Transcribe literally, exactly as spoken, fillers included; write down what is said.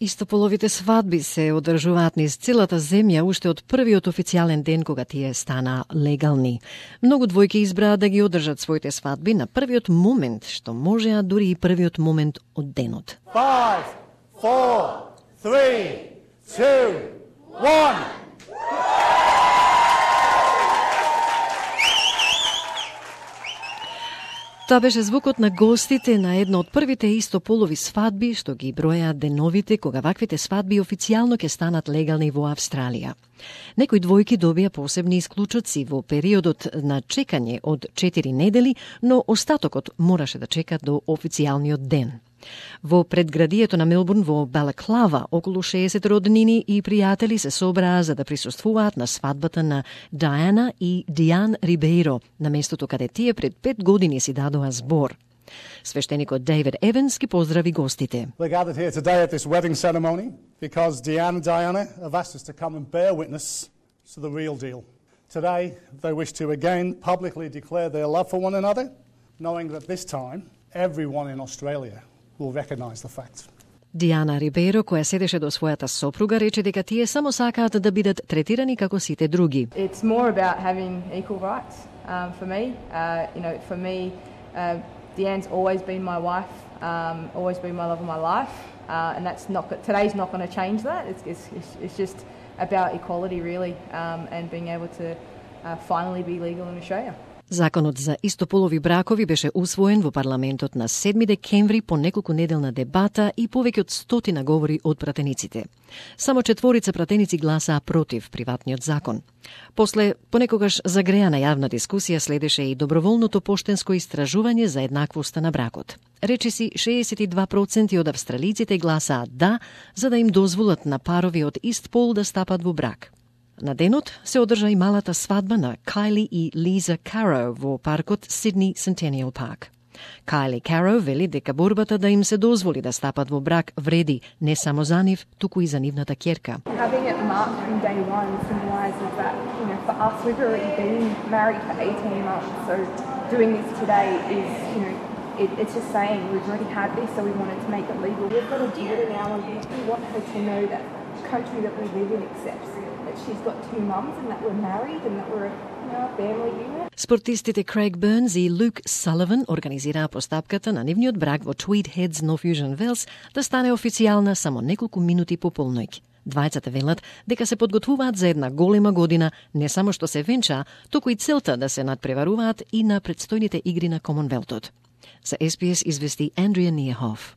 Истополовите свадби се одржуваат низ целата земја уште од првиот официјален ден кога тие стана легални. Многу двојки избраа да ги одржат своите свадби на првиот момент, што можеа дури и првиот момент од денот. five, four, three, two, one. Тоа беше звукот на гостите на една од првите истополови свадби што ги бројаат деновите кога ваквите свадби официјално ќе станат легални во Австралија. Некои двојки добија посебни исклучоци во периодот на чекање од четири недели, но остатокот мораше да чека до официјалниот ден. Во предградието на Мелбурн во Балаклава околу шеесет роднини и пријатели се собраа за да присуствуваат на свадбата на Диана и Диан Рибеиро, на местото каде тие пред пет години си дадоа збор. Свештеникот Дейвид Еванс ги поздрави гостите. We're gathered here today at this wedding ceremony because Diana and Diana have asked us to come and bear witness to the real deal. Today they wish to again publicly declare their love for one another, knowing that this time everyone in Australia will recognize the fact. Диана Рибеиро, која седеше до својата сопруга, рече дека тие само сакаат да бидат третирани како сите други. It's more about having equal rights um, for me. Uh, you know, for me, uh, Deanne's always been my wife, um, always been my love of my life, uh, and that's not today's not going to change that. It's, it's it's just about equality, really, um, and being able to uh, finally be legal in Australia. Законот за истополови бракови беше усвоен во парламентот на седми декември по неколку неделна дебата и повеќе од стотина говори од пратениците. Само четворица пратеници гласаа против приватниот закон. После понекогаш загреана јавна дискусија следеше и доброволното поштенско истражување за еднаквоста на бракот. Речиси шеесет и два проценти од австралиците гласаат да, за да им дозволат на парови од ист пол да стапат во брак. На денот се одржа и малата свадба на Кайли и Лиза Каро во паркот Сидни Centennial Park. Кайли Каро вели дека борбата да им се дозволи да стапат во брак вреди не само за нив, туку и за нивната ќерка. Having it marked from day one symbolises that, you know, for us we've already been married for eighteen months, so doing this today is, you know, it, it's just saying we've already had this, so we wanted to make it legal. We've got to do it now, and we want her to know that the country that we live in accepts that she's got two mums and that we're married and that we're, you know, a family unit. Спортистите Крейг Бернс и Люк Саливан организираа постапката на нивниот брак во Tweed Heads, North Fusion Wells да стане официјална само неколку минути по полноќ. Двајцата велат дека се подготвуваат за една голема година, не само што се венчаа, туку и целта да се надпреваруваат и на предстојните игри на Комонвелтот. За Ес Би Ес извести Андрија Ниехоф.